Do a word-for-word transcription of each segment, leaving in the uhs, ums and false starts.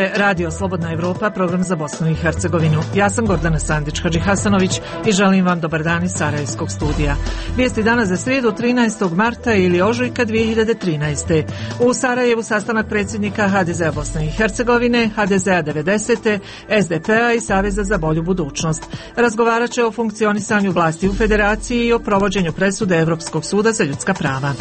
je Radio Slobodna Evropa, program za Bosnu i Hercegovinu. Ja sam Gordana Sandić-Hadžihasanović i želim vam dobar dan iz Sarajevskog studija. Vijesti danas za srijedu trinaestog marta ili ožujka dvije hiljade trinaeste. U Sarajevu sastanak predsjednika ha de zea Bosne i Hercegovine, ha de zea devedesete, es de pe-a i Saveza za bolju budućnost. Razgovarat će o funkcionisanju vlasti u federaciji i o provođenju presude Evropskog suda za ljudska prava.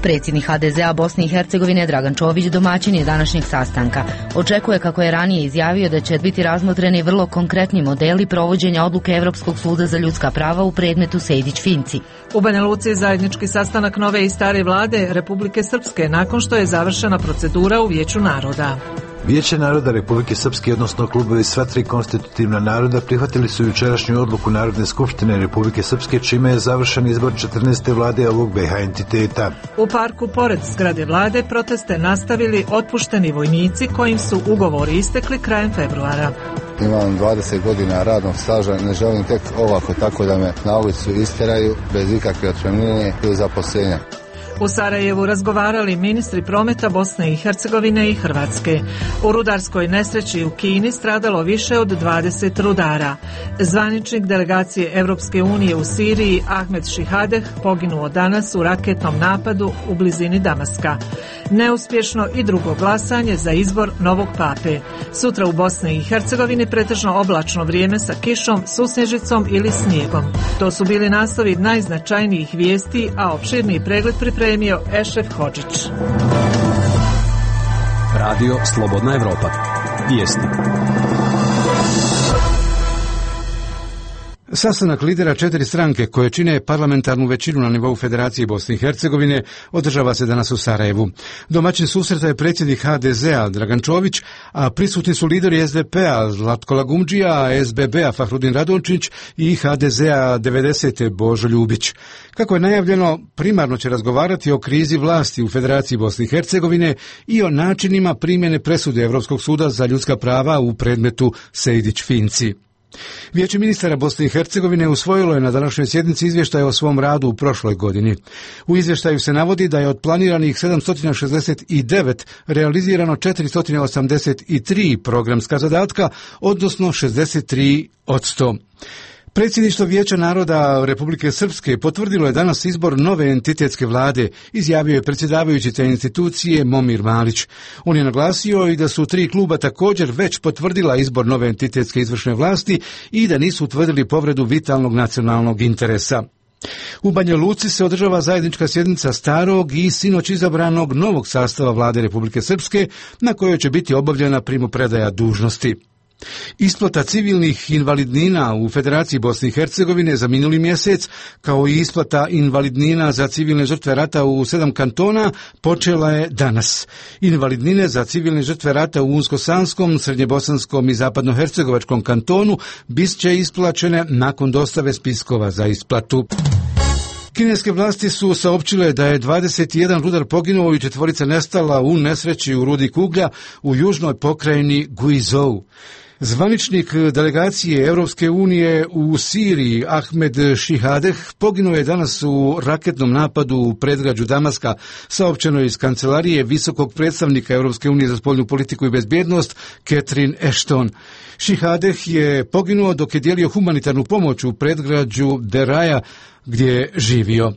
Predsjednik ha de zea Bosne i Hercegovine Dragan Čović domaćin je današnjeg sastanka. Očekuje, kako je ranije izjavio, da će biti razmotreni vrlo konkretni modeli provođenja odluke Evropskog suda za ljudska prava u predmetu Sejdić-Finci. U Banja Luci zajednički sastanak nove i stare vlade Republike Srpske nakon što je završena procedura u Vijeću naroda. Vijeće naroda Republike Srpske, odnosno klubovi sva tri konstitutivna naroda, prihvatili su jučerašnju odluku Narodne skupštine Republike Srpske, čime je završen izbor četrnaeste vlade ovog be ha entiteta. U parku pored zgrade vlade proteste nastavili otpušteni vojnici kojim su ugovori istekli krajem februara. Imam dvadeset godina radnog staža, ne želim tek ovako tako da me na ulicu isteraju bez ikakve otpremnine ili zaposlenja. U Sarajevu razgovarali ministri prometa Bosne i Hercegovine i Hrvatske. U rudarskoj nesreći u Kini stradalo više od dvadeset rudara. Zvaničnik delegacije Evropske unije u Siriji Ahmed Šihadeh poginuo danas u raketnom napadu u blizini Damaska. Neuspješno i drugo glasanje za izbor novog pape. Sutra u Bosni i Hercegovini pretežno oblačno vrijeme sa kišom, susnježicom ili snijegom. To su bili naslovi najznačajnijih vijesti, a opširniji pregled pripremio Ešref Hodžić. Radio Slobodna Evropa. Vijesti. Sastanak lidera četiri stranke koje čine parlamentarnu većinu na nivou Federacije Bosne i Hercegovine održava se danas u Sarajevu. Domaćin susreta je predsjednik ha de zea Dragan Čović, a prisutni su lideri es de pe-a Zlatko Lagumdžija, es be be-a Fahrudin Radončić i ha de zea devedesete Božo Ljubić. Kako je najavljeno, primarno će razgovarati o krizi vlasti u Federaciji Bosne i Hercegovine i o načinima primjene presude Evropskog suda za ljudska prava u predmetu Sejdić-Finci. Vijeće ministara Bosne i Hercegovine usvojilo je na današnjoj sjednici izvještaj o svom radu u prošloj godini. U izvještaju se navodi da je od planiranih sedamsto šezdeset devet realizirano četiristo osamdeset tri programska zadatka, odnosno šezdeset tri posto. Predsjedništvo Vijeća naroda Republike Srpske potvrdilo je danas izbor nove entitetske vlade, izjavio je predsjedavajući te institucije Momir Malić. On je naglasio i da su tri kluba također već potvrdila izbor nove entitetske izvršne vlasti i da nisu utvrdili povredu vitalnog nacionalnog interesa. U Banja Luci se održava zajednička sjednica starog i sinoć izabranog novog sastava vlade Republike Srpske, na kojoj će biti obavljena primopredaja dužnosti. Isplata civilnih invalidnina u Federaciji Bosne i Hercegovine za minuli mjesec, kao i isplata invalidnina za civilne žrtve rata u sedam kantona, počela je danas. Invalidnine za civilne žrtve rata u Unsko-Sanskom, Srednjebosanskom i Zapadnohercegovačkom kantonu bit će isplaćene nakon dostave spiskova za isplatu. Kineske vlasti su saopćile da je dvadeset jedan rudar poginuo i četvorica nestala u nesreći u rudi Kuglja u južnoj pokrajini Guizhou. Zvaničnik delegacije Europske unije u Siriji Ahmed Šihadeh poginuo je danas u raketnom napadu u predgrađu Damaska, saopćeno je iz kancelarije visokog predstavnika Europske unije za spoljnu politiku i bezbjednost Catherine Ashton. Šihadeh je poginuo dok je dijelio humanitarnu pomoć u predgrađu Deraja gdje je živio.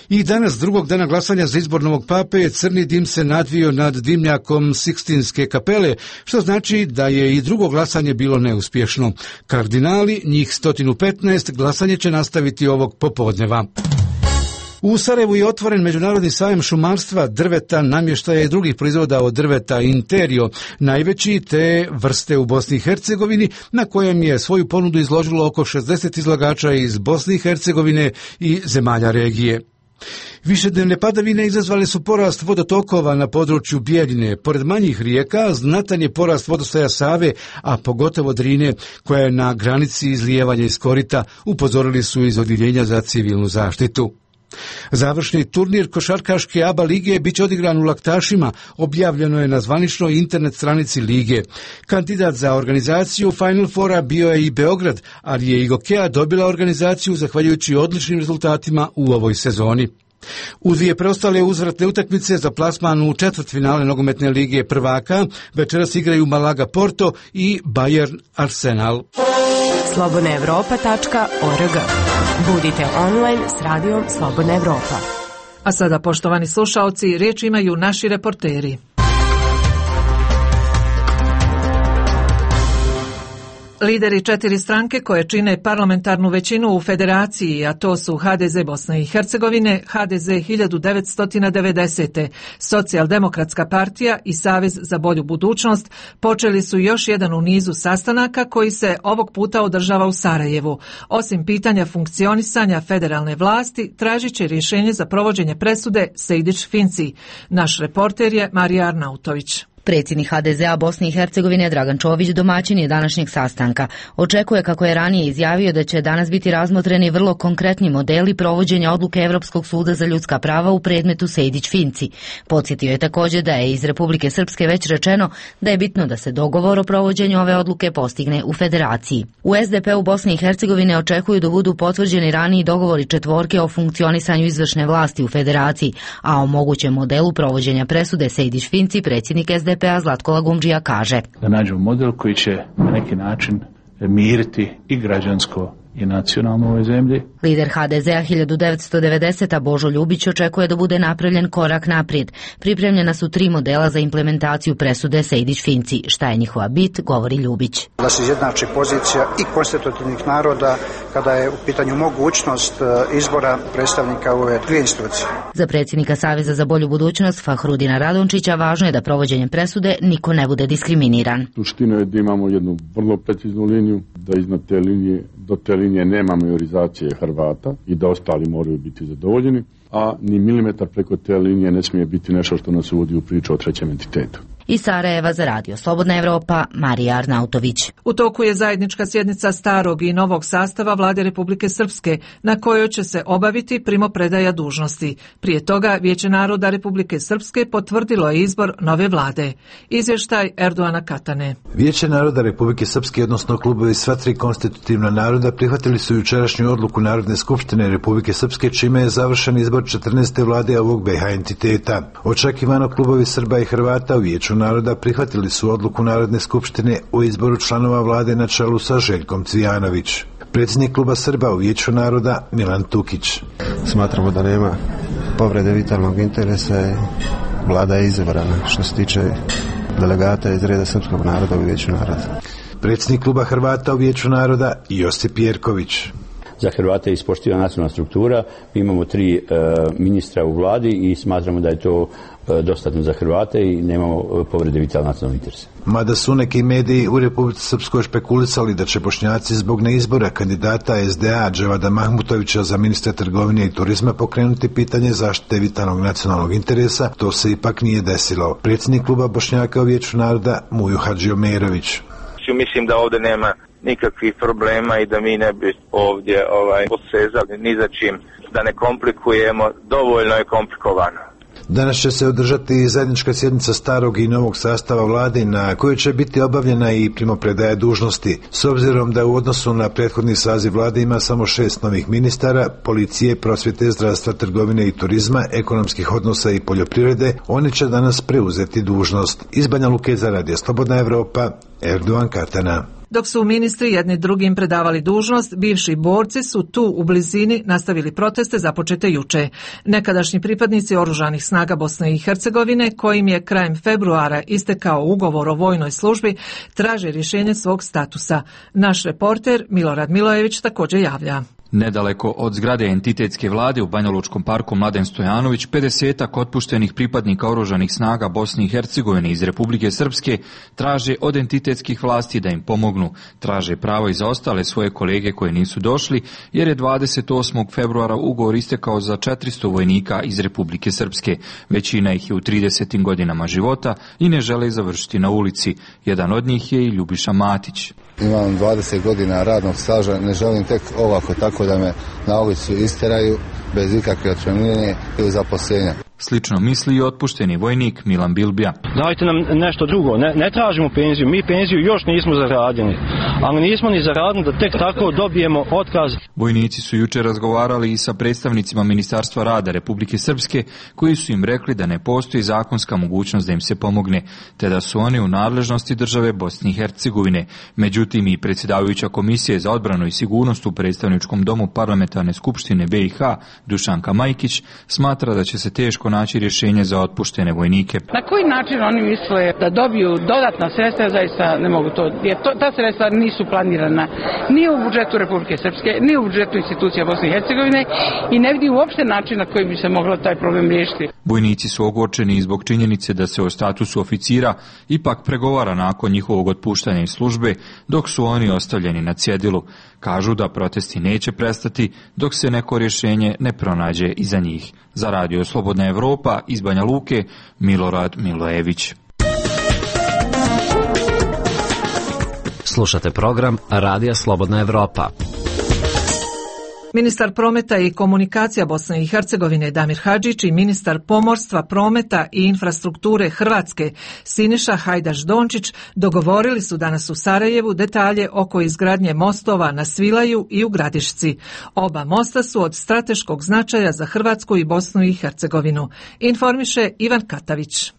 I danas, drugog dana glasanja za izbor novog pape, crni dim se nadvio nad dimnjakom Sikstinske kapele, što znači da je i drugo glasanje bilo neuspješno. Kardinali, njih sto petnaest, glasanje će nastaviti ovog popodneva. U Sarajevu je otvoren međunarodni sajam šumarstva, drveta, namještaja i drugih proizvoda od drveta Interio, najveći te vrste u Bosni i Hercegovini, na kojem je svoju ponudu izložilo oko šezdeset izlagača iz Bosne i Hercegovine i zemalja regije. Višednevne padavine izazvale su porast vodotokova na području Bijeljine. Pored manjih rijeka, znatan je porast vodostaja Save, a pogotovo Drine, koja je na granici izlijevanja iz korita, upozorili su iz Odjeljenja za civilnu zaštitu. Završni turnir košarkaške A B A lige bit će odigran u Laktašima, objavljeno je na zvaničnoj internet stranici lige. Kandidat za organizaciju Final Fora bio je i Beograd, ali je i Gokeja dobila organizaciju zahvaljujući odličnim rezultatima u ovoj sezoni. U dvije preostale uzvratne utakmice za plasman u četvrtfinale nogometne lige prvaka večeras igraju Malaga Porto i Bayern Arsenal. slobodna evropa tačka org. Budite online s radijom Slobodna Evropa. A sada, poštovani slušaoci, riječ imaju naši reporteri. Lideri četiri stranke koje čine parlamentarnu većinu u federaciji, a to su H D Z Bosne i Hercegovine, H D Z hiljadu devetsto devedesete. Socijaldemokratska partija i Savez za bolju budućnost, počeli su još jedan u nizu sastanaka koji se ovog puta održava u Sarajevu. Osim pitanja funkcionisanja federalne vlasti, tražit će rješenje za provođenje presude Sejdić-Finci. Naš reporter je Marija Arnautović. Predsjednik H D Z a Bosne i Hercegovine Dragan Čović domaćin je današnjeg sastanka. Očekuje, kako je ranije izjavio, da će danas biti razmotreni vrlo konkretni modeli provođenja odluke Europskog suda za ljudska prava u predmetu Sejdić-Finci. Podsjetio je također da je iz Republike Srpske već rečeno da je bitno da se dogovor o provođenju ove odluke postigne u federaciji. U S D P u Bosne i Hercegovine očekuju da budu potvrđeni raniji dogovori četvorke o funkcionisanju izvršne vlasti u federaciji, a o mogućem modelu provođenja presude Sejdić-Finci predsjednik S D P-a Zlatko Lagumdžija kaže: da nađemo model koji će na neki način miriti i građansko i nacionalno u ovoj zemlji. Lider H D Z a hiljadu devetsto devedesete. Božo Ljubić očekuje da bude napravljen korak naprijed. Pripremljena su tri modela za implementaciju presude Sejdić-Finci. Šta je njihova bit, govori Ljubić. Da se izjednači pozicija i konstitutivnih naroda kada je u pitanju mogućnost izbora predstavnika ove dvije institucije. Za predsjednika Saveza za bolju budućnost Fahrudina Radončića važno je da provođenjem presude niko ne bude diskriminiran. Suština je da imamo jednu vrlo preciznu liniju, da iznad te linije, do te linije nema majorizacije Hrvata i da ostali moraju biti zadovoljeni, a ni milimetar preko te linije ne smije biti nešto što nas uvodi u priču o trećem entitetu. Iz Sarajeva za radio Slobodna Evropa, Marija Arnautović. U toku je zajednička sjednica starog i novog sastava Vlade Republike Srpske, na kojoj će se obaviti primopredaja dužnosti. Prije toga Vijeće naroda Republike Srpske potvrdilo je izbor nove vlade. Izvještaj Erdoana Katane. Vijeće naroda Republike Srpske, odnosno klubovi sva tri konstitutivna naroda, prihvatili su jučerašnju odluku Narodne skupštine Republike Srpske, čime je završen izbor četrnaeste vlade ovog B iH entiteta. Očekivano, klubovi Srba i Hrvata u Vijeću naroda prihvatili su odluku Narodne skupštine o izboru članova vlade na čelu sa Željkom Cvijanović. Predsjednik kluba Srba u Vijeću naroda Milan Tukić. Smatramo da nema povrede vitalnog interesa i vlada je izabrana što se tiče delegata iz reda srpskog naroda u Vijeću naroda. Predsjednik kluba Hrvata u Vijeću naroda Josip Jerković. Za Hrvate je ispoštivana nacionalna struktura, mi imamo tri e, ministra u vladi i smatramo da je to e, dostatno za Hrvate i nemamo povrede vitalnog nacionalnog interesa. Mada su neki mediji u Republici Srpskoj špekulisali da će Bošnjaci zbog neizbora kandidata S D A Dževada Mahmutovića za ministra trgovine i turizma pokrenuti pitanje zaštite vitalnog nacionalnog interesa, to se ipak nije desilo. Predsjednik kluba Bošnjaka u Vijeću naroda Mujo Hadžiomerović. Mislim da ovdje nema nikakvih problema i da mi ne bi ovdje ovaj, posezali ni za čim, da ne komplikujemo, dovoljno je komplikovano. Danas će se održati i zajednička sjednica starog i novog sastava vlade na kojoj će biti obavljena i primopredaja dužnosti. S obzirom da u odnosu na prethodni saziv vlade ima samo šest novih ministara, policije, prosvjete, zdravstva, trgovine i turizma, ekonomskih odnosa i poljoprivrede, oni će danas preuzeti dužnost. Iz Banja Luke za radio Slobodna Evropa, Erdoan Katana. Dok su ministri jedni drugim predavali dužnost, bivši borci su tu u blizini nastavili proteste započete juče. Nekadašnji pripadnici oružanih snaga Bosne i Hercegovine, kojim je krajem februara istekao ugovor o vojnoj službi, traže rješenje svog statusa. Naš reporter Milorad Milojević također javlja. Nedaleko od zgrade entitetske vlade u Banjalučkom parku Mladen Stojanović, pedesetak otpuštenih pripadnika oružanih snaga Bosne i Hercegovine iz Republike Srpske traže od entitetskih vlasti da im pomognu. Traže pravo i za ostale svoje kolege koji nisu došli, jer je dvadeset osmog februara ugovor istekao za četiristo vojnika iz Republike Srpske. Većina ih je u tridesetim godinama života i ne žele završiti na ulici. Jedan od njih je i Ljubiša Matić. Imam dvadeset godina radnog staža, ne želim tek ovako tako da me na ulicu isteraju bez ikakve otpremnine ili zaposlenja. Slično misli i otpušteni vojnik Milan Bilbija. Dajte nam nešto drugo, ne, ne tražimo penziju, mi penziju još nismo zaradili, ali nismo ni zaradili da tek tako dobijemo otkaz. Vojnici su jučer razgovarali i sa predstavnicima Ministarstva rada Republike Srpske, koji su im rekli da ne postoji zakonska mogućnost da im se pomogne, te da su oni u nadležnosti države Bosne i Hercegovine. Međutim, i predsjedavajuća Komisije za odbranu i sigurnost u predstavničkom domu Parlamentarne skupštine B i H, Dušanka Majkić, smatra da će se teško naći rješenje za otpuštene vojnike. Na koji način oni misle da dobiju dodatna sredstva, zaista ne mogu to, jer to, ta sredstva nisu planirana ni u budžetu Republike Srpske, ni u budžetu institucija Bosne i Hercegovine i ne vidi uopšte način na koji bi se moglo taj problem riješiti. Vojnici su ogorčeni zbog činjenice da se o statusu oficira ipak pregovara nakon njihovog otpuštanja iz službe, dok su oni ostavljeni na cjedilu. Kažu da protesti neće prestati dok se neko rješenje ne pronađe iza njih. Za Radio Slobodna Evropa iz Banja Luke, Milorad Milojević. Slušate program Radija Slobodna Evropa. Ministar prometa i komunikacija Bosne i Hercegovine Damir Hadžić i ministar pomorstva, prometa i infrastrukture Hrvatske Siniša Hajdaš Dončić dogovorili su danas u Sarajevu detalje oko izgradnje mostova na Svilaju i u Gradišci. Oba mosta su od strateškog značaja za Hrvatsku i Bosnu i Hercegovinu, informiše Ivan Katavić.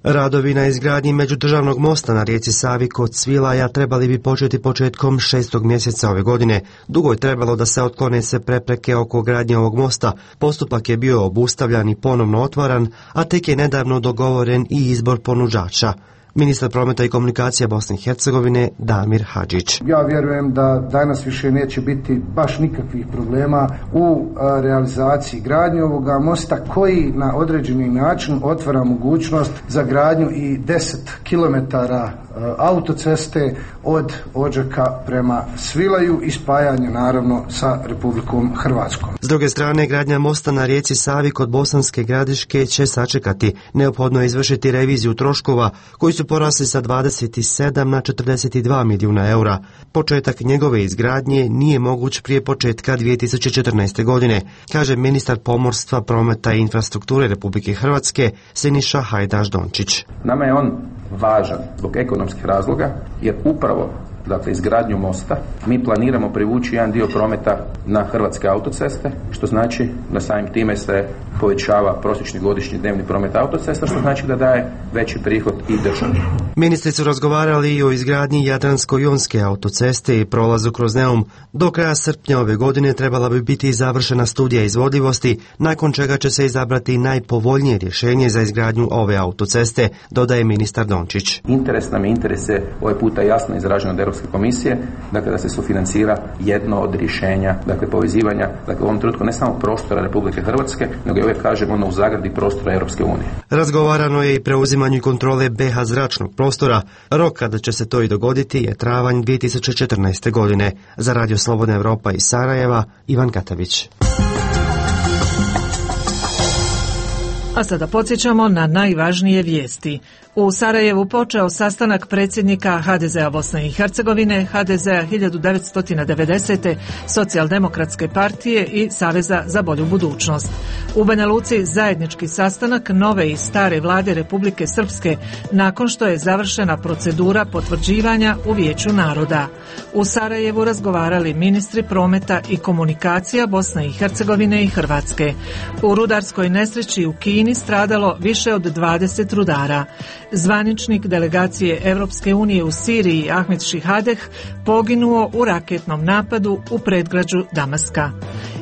Radovi na izgradnji međudržavnog mosta na rijeci Savi kod Svilaja trebali bi početi početkom šestog mjeseca ove godine. Dugo je trebalo da se otklone sve prepreke oko gradnje ovog mosta. Postupak je bio obustavljan i ponovno otvaran, a tek je nedavno dogovoren i izbor ponuđača. Ministar prometa i komunikacija Bosne i Hercegovine Damir Hadžić. Ja vjerujem da danas više neće biti baš nikakvih problema u realizaciji gradnje ovoga mosta koji na određeni način otvara mogućnost za gradnju i deset kilometara autoceste od Odžaka prema Svilaju i spajanje naravno sa Republikom Hrvatskom. S druge strane, gradnja mosta na rijeci Savi kod Bosanske Gradiške će sačekati. Neophodno je izvršiti reviziju troškova koji su porasli sa dvadeset sedam na četrdeset dva milijuna eura. Početak njegove izgradnje nije moguć prije početka dvije tisuće četrnaeste. godine, kaže ministar pomorstva, prometa i infrastrukture Republike Hrvatske Siniša Hajdaš Dončić. Nama je on važan zbog ekonomskih razloga, jer upravo dakle izgradnju mosta mi planiramo privući jedan dio prometa na hrvatske autoceste, što znači da samim time se povećava prosječni godišnji dnevni promet autocesta, što znači da daje veći prihod i državi. Ministri su razgovarali i o izgradnji Jadransko-jonske autoceste i prolazu kroz Neum. Do kraja srpnja ove godine trebala bi biti završena studija izvodljivosti, nakon čega će se izabrati najpovoljnije rješenje za izgradnju ove autoceste, dodaje ministar Dončić. Interes nam je interese ovaj puta jasno izraženo od Europske komisije, dakle da se sufinancira jedno od rješenja, dakle povezivanja, dakle u ovom trenutku ne samo prostora Republike Hrvatske, nego i uvijek kažem ono u zagradi prostora Europske unije. Razgovarano je i preuzimanju kontrole B H zračnog prostora. Rok kada će se to i dogoditi je travanj dvije tisuće četrnaeste. godine. Za Radio Slobodna Evropa iz Sarajeva, Ivan Katavić. A sada podsjećamo na najvažnije vijesti. U Sarajevu počeo sastanak predsjednika H D Z a Bosne i Hercegovine, H D Z a hiljadu devetsto devedesete. Socijaldemokratske partije i Saveza za bolju budućnost. U Banja Luci zajednički sastanak nove i stare vlade Republike Srpske nakon što je završena procedura potvrđivanja u Vijeću naroda. U Sarajevu razgovarali ministri prometa i komunikacija Bosne i Hercegovine i Hrvatske. U rudarskoj nesreći u Kini stradalo više od dvadeset rudara. Zvaničnik delegacije Europske unije u Siriji Ahmed Šihadeh poginuo u raketnom napadu u predgrađu Damaska.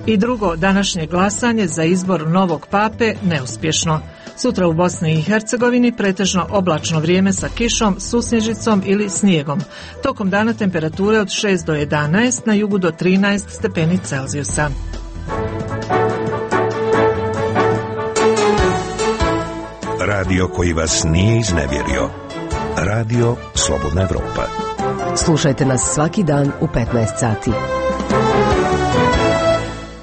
I drugo današnje glasanje za izbor novog pape neuspješno. Sutra u Bosni i Hercegovini pretežno oblačno vrijeme sa kišom, susnježicom ili snijegom. Tokom dana temperature od šest do jedanaest, na jugu do trinaest stepeni Celzijusa. Radio koji vas nije iznevjerio. Radio Slobodna Evropa. Slušajte nas svaki dan u petnaest sati.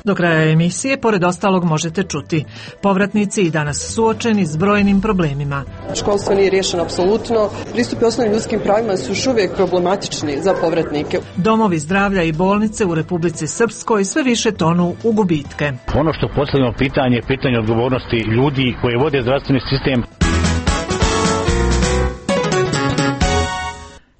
Do kraja emisije, pored ostalog, možete čuti. Povratnici i danas suočeni s brojnim problemima. Školstvo nije riješeno apsolutno. Pristupi osnovnim ljudskim pravima su još uvijek problematični za povratnike. Domovi zdravlja i bolnice u Republici Srpskoj sve više tonu u gubitke. Ono što postavljamo pitanje je pitanje odgovornosti ljudi koji vode zdravstveni sistem.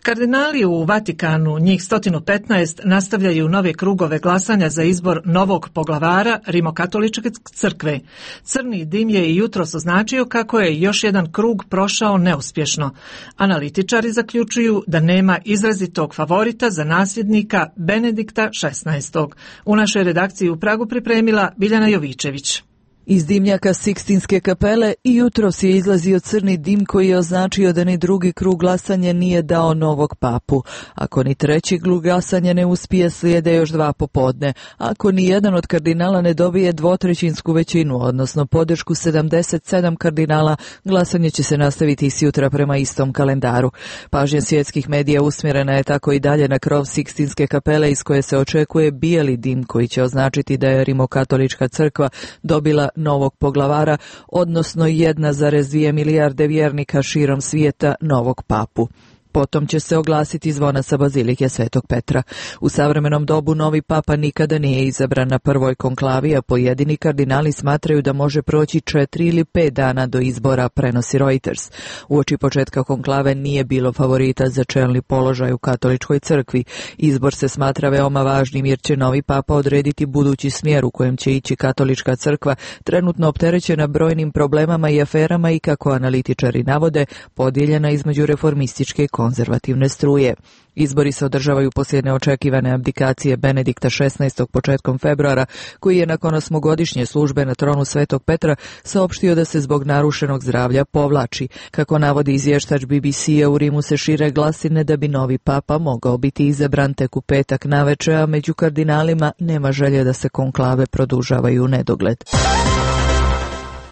Kardinali u Vatikanu, njih sto petnaest, nastavljaju nove krugove glasanja za izbor novog poglavara Rimokatoličke crkve. Crni dim je i jutros označio kako je još jedan krug prošao neuspješno. Analitičari zaključuju da nema izrazitog favorita za nasljednika Benedikta šesnaestog. U našoj redakciji u Pragu pripremila Biljana Jovičević. Iz dimnjaka Sikstinske kapele i jutros je izlazio crni dim koji je označio da ni drugi krug glasanja nije dao novog papu. Ako ni treći krug glasanja ne uspije, slijede još dva popodne. Ako ni jedan od kardinala ne dobije dvotrećinsku većinu, odnosno podršku sedamdeset sedam kardinala, glasanje će se nastaviti i sjutra prema istom kalendaru. Pažnja svjetskih medija usmjerena je tako i dalje na krov Sikstinske kapele iz koje se očekuje bijeli dim koji će označiti da je Rimokatolička crkva dobila novog poglavara, odnosno jedna zarez dvije milijarde vjernika širom svijeta novog papu. Potom će se oglasiti zvona sa bazilike Svetog Petra. U savremenom dobu novi papa nikada nije izabran na prvoj konklavi, a pojedini kardinali smatraju da može proći četiri ili pet dana do izbora, prenosi Reuters. Uoči početka konklave nije bilo favorita za čelni položaj u katoličkoj crkvi. Izbor se smatra veoma važnim jer će novi papa odrediti budući smjer u kojem će ići katolička crkva, trenutno opterećena brojnim problemama i aferama i, kako analitičari navode, podijeljena između reformističke i konzervativne struje. Izbori se održavaju poslije neočekivane abdikacije Benedikta šesnaestog početkom februara, koji je nakon osmogodišnje službe na tronu Svetog Petra saopštio da se zbog narušenog zdravlja povlači. Kako navodi izvještač B B C-a, u Rimu se šire glasine da bi novi papa mogao biti izabran tek u petak naveče, a među kardinalima nema želje da se konklave produžavaju u nedogled.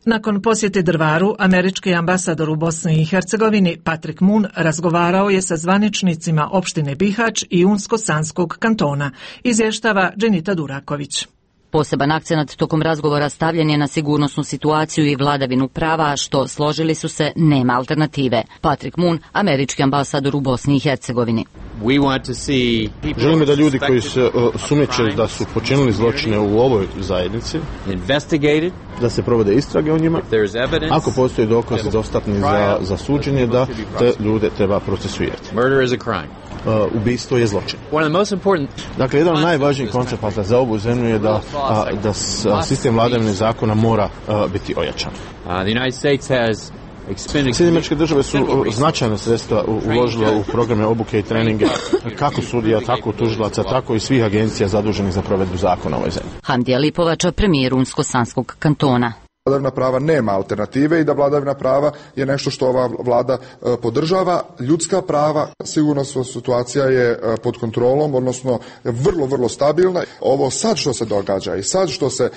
Nakon posjete Drvaru, američki ambasador u Bosni i Hercegovini Patrick Moon razgovarao je sa zvaničnicima opštine Bihać i Unsko-Sanskog kantona, izvještava Dženita Duraković. Poseban akcenat tokom razgovora stavljen je na sigurnosnu situaciju i vladavinu prava, što, složili su se, nema alternative. Patrick Moon, američki ambasador u Bosni i Hercegovini. Želimo da ljudi koji se uh, sumnjiče da su počinili zločine u ovoj zajednici, da se provode istrage o njima. Ako postoji dokazi dostatni za, za suđenje, da te ljude treba procesuirati. Uh, ubistvo je zločin. Dakle, jedan od najvažnijih koncepata za ovu zemlju je da, a, da s, a, sistem vladavine zakona mora a, biti ojačan. Sjedinjene Američke Države su značajna sredstva uložile u programe obuke i treninge kako sudija, tako tužilaca, tako i svih agencija zaduženih za provedbu zakona u ovoj zemlji. Hamdija Lipovača, premijer Unsko-Sanskog kantona. Vladavina prava nema alternative i da vladavina prava je nešto što ova vlada e, podržava. Ljudska prava, sigurnosna situacija je e, pod kontrolom, odnosno vrlo, vrlo stabilna. Ovo sad što se događa i sad što se e,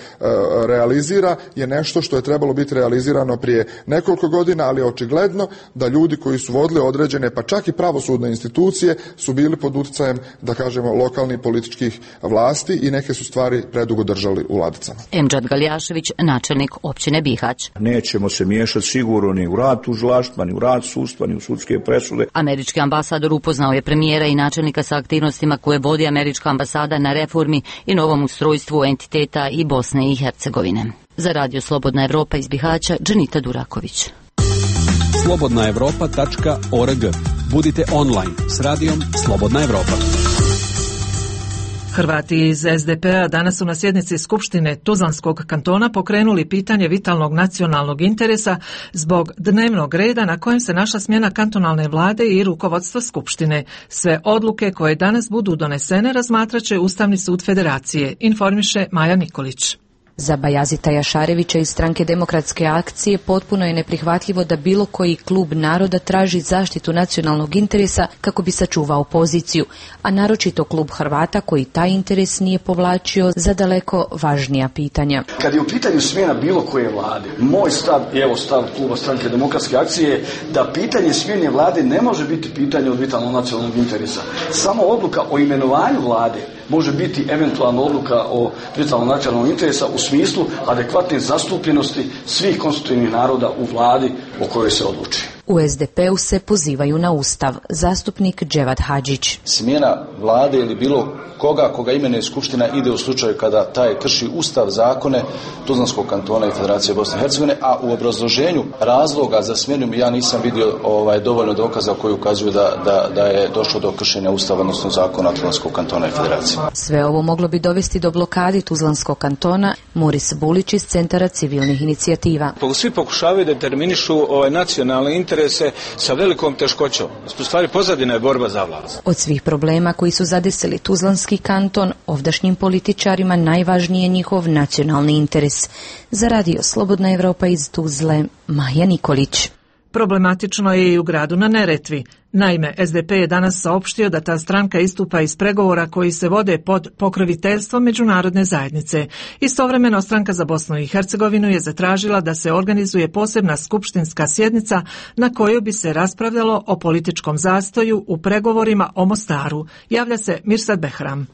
realizira je nešto što je trebalo biti realizirano prije nekoliko godina, ali je očigledno da ljudi koji su vodili određene, pa čak i pravosudne institucije, su bili pod utjecajem, da kažemo, lokalnih političkih vlasti i neke su stvari predugo držali u ladicama. Emdžad Galjašević, načelnik općine Bihać. Nećemo se miješati sigurno ni u rad tužilaštva, ni u rad sudstva, ni u sudske presude. Američki ambasador upoznao je premijera i načelnika sa aktivnostima koje vodi američka ambasada na reformi i novom ustrojstvu entiteta i Bosne i Hercegovine. Za Radio Slobodna Evropa iz Bihaća, Dženita Duraković. slobodna evropa tačka org. Budite online s radijom Slobodna Evropa. Hrvati iz S D P-a danas su na sjednici Skupštine Tuzlanskog kantona pokrenuli pitanje vitalnog nacionalnog interesa zbog dnevnog reda na kojem se našla smjena kantonalne vlade i rukovodstva Skupštine. Sve odluke koje danas budu donesene razmatraće Ustavni sud Federacije, informiše Maja Nikolić. Za Bajazita Jašarevića iz Stranke demokratske akcije potpuno je neprihvatljivo da bilo koji klub naroda traži zaštitu nacionalnog interesa kako bi sačuvao poziciju, a naročito klub Hrvata koji taj interes nije povlačio za daleko važnija pitanja. Kad je u pitanju smjena bilo koje vlade, moj stav, evo stav kluba Stranke demokratske akcije je da pitanje smjene vlade ne može biti pitanje od vitalnog nacionalnog interesa. Samo odluka o imenovanju vlade može biti eventualna odluka o vitalnom nacionalnom interesa u smislu adekvatne zastupljenosti svih konstitutivnih naroda u vladi o kojoj se odluči. U S D P-u se pozivaju na Ustav. Zastupnik Dževad Hadžić. Smjena vlade ili bilo koga koga imenuje skupština ide u slučaju kada taj krši Ustav, zakone Tuzlanskog kantona i Federacije Bosne i Hercegovine, a u obrazloženju razloga za smjenu ja nisam vidio ovaj, dovoljno dokaza koji ukazuju da, da, da je došlo do kršenja Ustava, odnosno zakona Tuzlanskog kantona i Federacije. Sve ovo moglo bi dovesti do blokadi Tuzlanskog kantona. Moris Bulić iz Centara civilnih inicijativa. Svi pokušavaju da determinišu ovaj nacionalne interese sa velikom teškoćom. U stvari pozadina je borba za vlast. Od svih problema koji su zadesili Tuzlanski kanton, ovdašnjim političarima najvažniji je njihov nacionalni interes. Za radio Slobodna Evropa iz Tuzle, Maja Nikolić. Problematično je i u gradu na Neretvi. Naime, S D P je danas saopštio da ta stranka istupa iz pregovora koji se vode pod pokroviteljstvom međunarodne zajednice. Istovremeno, Stranka za Bosnu i Hercegovinu je zatražila da se organizuje posebna skupštinska sjednica na kojoj bi se raspravljalo o političkom zastoju u pregovorima o Mostaru. Javlja se Mirsad Behram.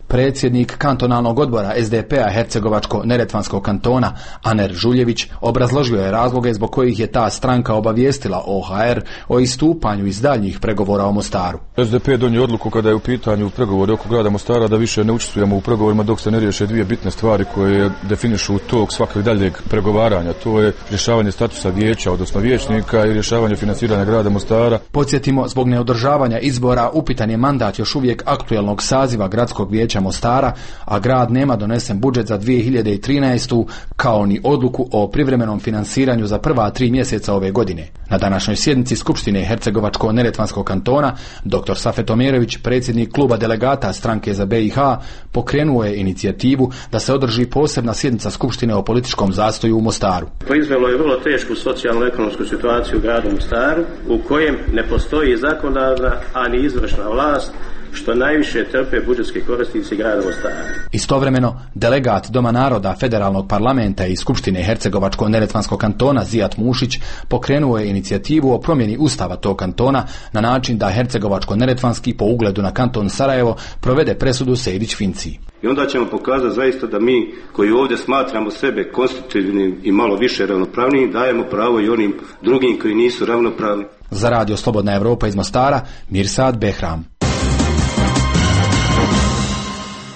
Predsjednik kantonalnog odbora S D P-a Hercegovačko-neretvanskog kantona Aner Žuljević obrazložio je razloge zbog kojih je ta stranka obavijestila O H R o istupanju iz daljnjih pregovora o Mostaru. S D P donio odluku kada je u pitanju pregovori oko grada Mostara da više ne učestvujemo u pregovorima dok se ne riješe dvije bitne stvari koje definišu tok svakog daljeg pregovaranja. To je rješavanje statusa vijeća, odnosno vijećnika, i rješavanje financiranja grada Mostara. Podsjetimo, zbog neodržavanja izbora upitan je mandat još uvijek aktuelnog saziva gradskog vijeća Mostara, a grad nema donesen budžet za dvije hiljade trinaestu kao ni odluku o privremenom finansiranju za prva tri mjeseca ove godine. Na današnjoj sjednici Skupštine Hercegovačko-neretvanskog kantona dr Safet Omerović, predsjednik kluba delegata stranke za B i H, pokrenuo je inicijativu da se održi posebna sjednica Skupštine o političkom zastoju u Mostaru. Proizvelo je vrlo tešku socijalno-ekonomsku situaciju u gradu Mostaru, u kojem ne postoji zakonodavna, ani izvršna vlast, što najviše trpe budžetski korisnici grada Mostara. Istovremeno, delegat Doma naroda Federalnog parlamenta i Skupštine Hercegovačko-neretvanskog kantona Zijat Mušić pokrenuo je inicijativu o promjeni ustava tog kantona na način da Hercegovačko-neretvanski po ugledu na kanton Sarajevo provede presudu Sejdić-Finciji. I onda ćemo pokazati zaista da mi koji ovdje smatramo sebe konstitutivnim i malo više ravnopravnim, dajemo pravo i onim drugim koji nisu ravnopravni. Za radio Slobodna Evropa iz Mostara, Mirsad Behram.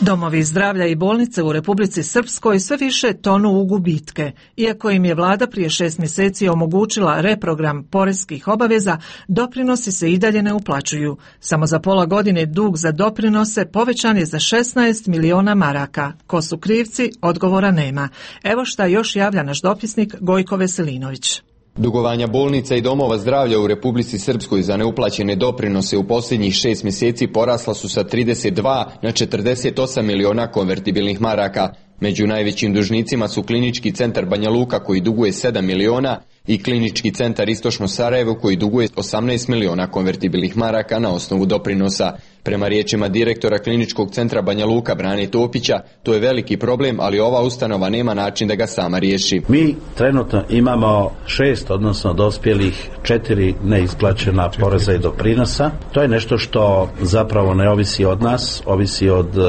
Domovi zdravlja i bolnice u Republici Srpskoj sve više tonu u gubitke. Iako im je vlada prije šest mjeseci omogućila reprogram poreskih obaveza, doprinosi se i dalje ne uplaćuju. Samo za pola godine dug za doprinose povećan je za šesnaest miliona maraka. Ko su krivci, odgovora nema. Evo šta još javlja naš dopisnik Gojko Veselinović. Dugovanja bolnica i domova zdravlja u Republici Srpskoj za neuplaćene doprinose u posljednjih šest mjeseci porasla su sa trideset dva na četrdeset osam miliona konvertibilnih maraka. Među najvećim dužnicima su Klinički centar Banja Luka koji duguje sedam miliona i Klinički centar Istočno Sarajevo koji duguje osamnaest miliona konvertibilnih maraka na osnovu doprinosa. Prema riječima direktora Kliničkog centra Banja Luka Brane Topića, to je veliki problem, ali ova ustanova nema način da ga sama riješi. Mi trenutno imamo šest, odnosno dospjelih četiri neisplaćena poreza i doprinosa. To je nešto što zapravo ne ovisi od nas, ovisi od uh,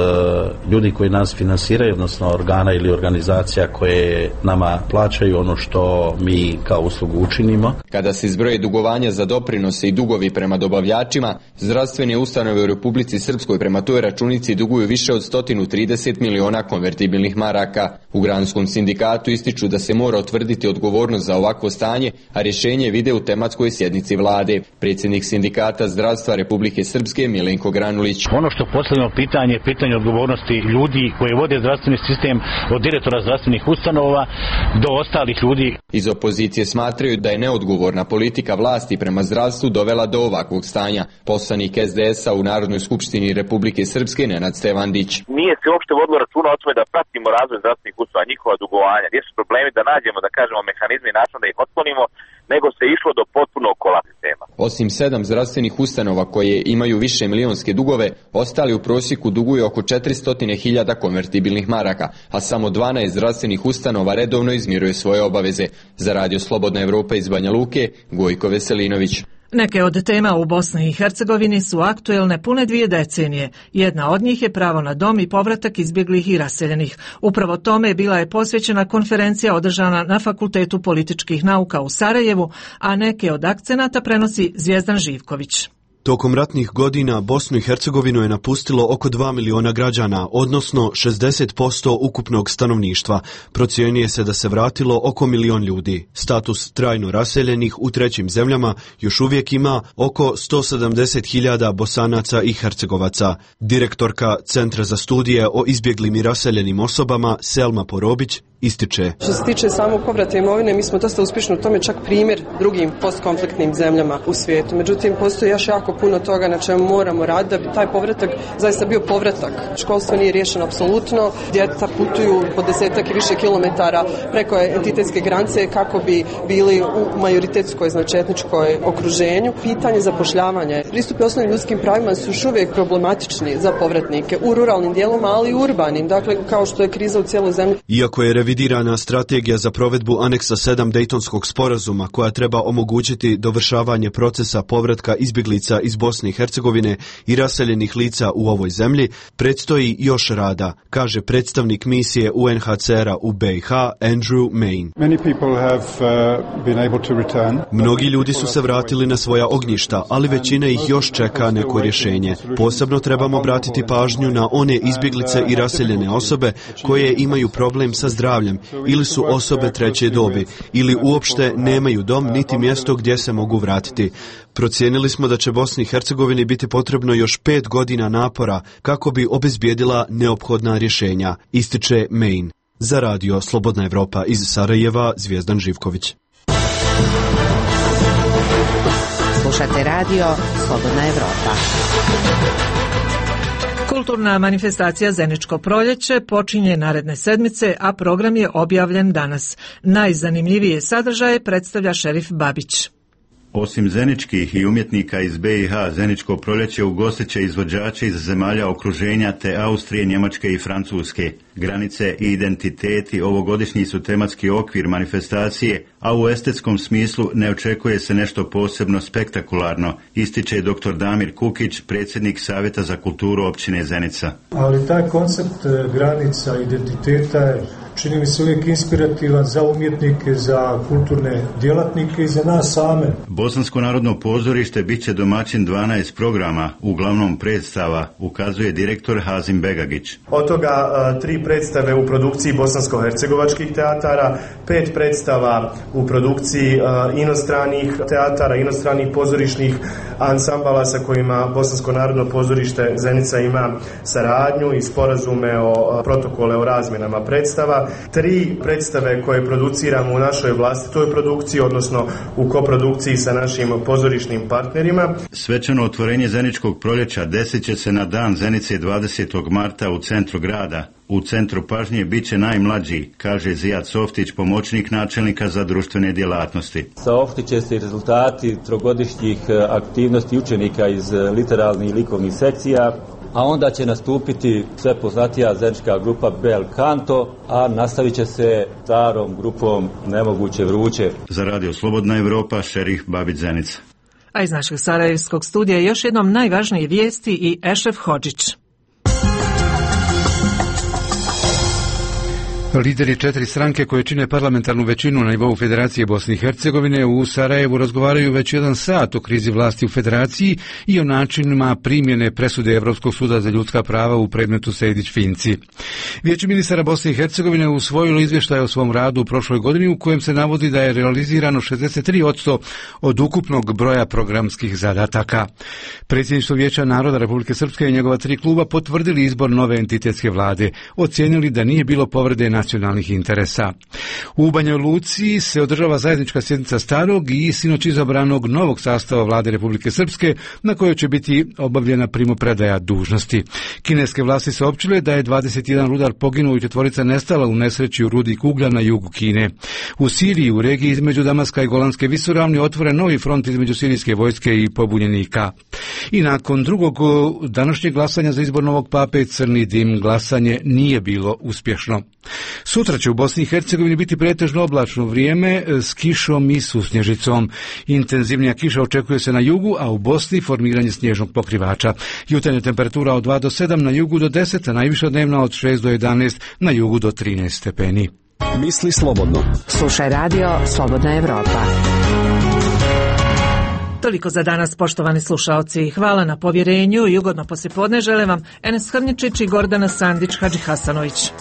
ljudi koji nas finansiraju, odnosno organa ili organizacija koje nama plaćaju ono što mi kao uslugu učinimo. Kada se zbroje dugovanja za doprinose i dugovi prema dobavljačima, zdravstvene ustanove u Republici Srpskoj prema toj računici duguju više od sto trideset miliona konvertibilnih maraka. U granskom sindikatu ističu da se mora utvrditi odgovornost za ovakvo stanje, a rješenje vide u tematskoj sjednici vlade. Predsjednik sindikata zdravstva Republike Srpske Milenko Granulić. Ono što postavljamo pitanje je pitanje odgovornosti ljudi koji vode zdravstveni sistem, od direktora zdravstvenih ustanova do ostalih ljudi. Iz opozicije smatraju da je neodgovorna politika vlasti prema zdravstvu dovela do ovakvog stanja. Poslanik S D S-a u Narodnoj skupštini Republike Srpske Nenad Stevandić. Nije se uopšte vodilo računa o tome da pratimo razvoj zdravstvenih ustanova, njihova dugovanja, gdje su problemi, da nađemo, da kažemo, mehanizme i način da ih otklonimo, nego se išlo do potpunog kolapsa sistema. Osim sedam zdravstvenih ustanova koje imaju više milionske dugove, ostali u prosjeku duguju oko četiristo hiljada konvertibilnih maraka, a samo dvanaest zdravstvenih ustanova redovno izmiruje svoje obaveze. Za radio Slobodna Evropa iz Banja Luke, Gojko Veselinović. Neke od tema u Bosni i Hercegovini su aktuelne pune dvije decenije. Jedna od njih je pravo na dom i povratak izbjeglih i raseljenih. Upravo tome bila je posvećena konferencija održana na Fakultetu političkih nauka u Sarajevu, a neke od akcenata prenosi Zvijezdan Živković. Tokom ratnih godina Bosnu i Hercegovinu je napustilo oko dva miliona građana, odnosno šezdeset posto ukupnog stanovništva. Procjenjuje se da se vratilo oko milion ljudi. Status trajno raseljenih u trećim zemljama još uvijek ima oko sto sedamdeset hiljada Bosanaca i Hercegovaca. Direktorka Centra za studije o izbjeglim i raseljenim osobama Selma Porobić ističe. Što se tiče samog povrata imovine, mi smo dosta uspješni u tome, čak primjer drugim postkonfliktnim zemljama u svijetu. Međutim, postoji još jako puno toga na čemu moramo raditi da bi taj povratak zaista bio povratak. Školstvo nije riješeno apsolutno, djeca putuju po desetak i više kilometara preko entitetske granice kako bi bili u majoritetskoj, znači etničkoj okruženju. Pitanje zapošljavanja, pristupi osnovnim ljudskim pravima su još uvijek problematični za povratnike u ruralnim dijelovima, ali i urbanim, dakle kao što je kriza u cijeloj zemlji. Iako je revidirana strategija za provedbu aneksa sedam Dejtonskog sporazuma koja treba omogućiti dovršavanje procesa povratka izbjeglica iz Bosne i Hercegovine i raseljenih lica u ovoj zemlji, predstoji još rada, kaže predstavnik misije U N H C R-a u B i H Andrew Main. Mnogi ljudi su se vratili na svoja ognjišta, ali većina ih još čeka neko rješenje. Posebno trebamo obratiti pažnju na one izbjeglice i raseljene osobe koje imaju problem sa zdravljem ili su osobe treće dobi ili uopšte nemaju dom niti mjesto gdje se mogu vratiti. Procijenili smo da će Bosni i Hercegovini biti potrebno još pet godina napora kako bi obezbijedila neophodna rješenja, ističe Main. Za radio Slobodna Evropa iz Sarajeva, Zvijezdan Živković. Slušate radio Slobodna Evropa. Kulturna manifestacija Zeničko proljeće počinje naredne sedmice, a program je objavljen danas. Najzanimljivije sadržaje predstavlja Šerif Babić. Osim zeničkih i umjetnika iz B i H, Zeničko proljeće ugostit će izvođače iz zemalja okruženja te Austrije, Njemačke i Francuske. Granice i identiteti ovogodišnji su tematski okvir manifestacije, a u estetskom smislu ne očekuje se nešto posebno spektakularno, ističe doktor Damir Kukić, predsjednik Savjeta za kulturu općine Zenica. Ali taj koncept granica identiteta je, čini mi se, uvijek inspirativan za umjetnike, za kulturne djelatnike i za nas same. Bosansko narodno pozorište bit će domaćin dvanaest programa, uglavnom predstava, ukazuje direktor Hazim Begagić. Od toga tri predstave u produkciji bosansko-hercegovačkih teatara, pet predstava u produkciji inostranih teatara, inostranih pozorišnih ansambala sa kojima Bosansko narodno pozorište Zenica ima saradnju i sporazume o protokole o razmjenama predstava. Tri predstave koje produciramo u našoj vlastitoj produkciji, odnosno u koprodukciji sa našim pozorišnim partnerima. Svečano otvorenje Zeničkog proljeća desit će se na dan Zenice dvadesetog marta u centru grada. U centru pažnje bit će najmlađi, kaže Zijad Softić, pomoćnik načelnika za društvene djelatnosti. Saopštit će se rezultati trogodišnjih aktivnosti učenika iz literarnih i likovnih sekcija, a onda će nastupiti sve poznatija zenička grupa Bel Canto, a nastavit će se starom grupom Nemoguće vruće. Za radio Slobodna Evropa, Šerif Babić, Zenica. A iz našeg sarajevskog studija još jednom najvažnije vijesti i Ešref Hodžić. Lideri četiri stranke koje čine parlamentarnu većinu na nivou Federacije Bosne i Hercegovine u Sarajevu razgovaraju već jedan sat o krizi vlasti u Federaciji i o načinima primjene presude Evropskog suda za ljudska prava u predmetu Sejdić-Finci. Vijeće ministara Bosne i Hercegovine usvojilo izvještaj o svom radu u prošloj godini u kojem se navodi da je realizirano šezdeset tri posto od ukupnog broja programskih zadataka. Predsjedništvo Vijeća naroda Republike Srpske i njegova tri kluba potvrdili izbor nove entitetske vlade, ocijenili da nije bilo povrede nacionalnih interesa. U Banja Luci se održava zajednička sjednica starog i sinoć izabranog novog sastava vlade Republike Srpske na kojoj će biti obavljena primopredaja dužnosti. Kineske vlasti saopćile da je dvadeset jedan rudar poginuo i četvorica nestala u nesreći u rudi Kuglja na jugu Kine. U Siriji, u regiji između Damaska i Golanske visoravni, otvoren novi front između sirijske vojske i pobunjenika. I nakon drugog današnjeg glasanja za izbor novog pape, crni dim, glasanje nije bilo uspješno. Sutra će u Bosni i Hercegovini biti pretežno oblačno vrijeme s kišom i susnježicom. Intenzivnija kiša očekuje se na jugu, a u Bosni formiranje snježnog pokrivača. Jutarnja temperatura od dva do sedam, na jugu do deset, a najviša dnevna od šest do jedanaest, na jugu do trinaest stepeni. Misli slobodno. Slušaj radio Slobodna Evropa. Toliko za danas, poštovani slušaoci. Hvala na povjerenju i ugodno poslijepodne žele vam Enes Hrnječić i Gordana Sandić Hadžihasanović.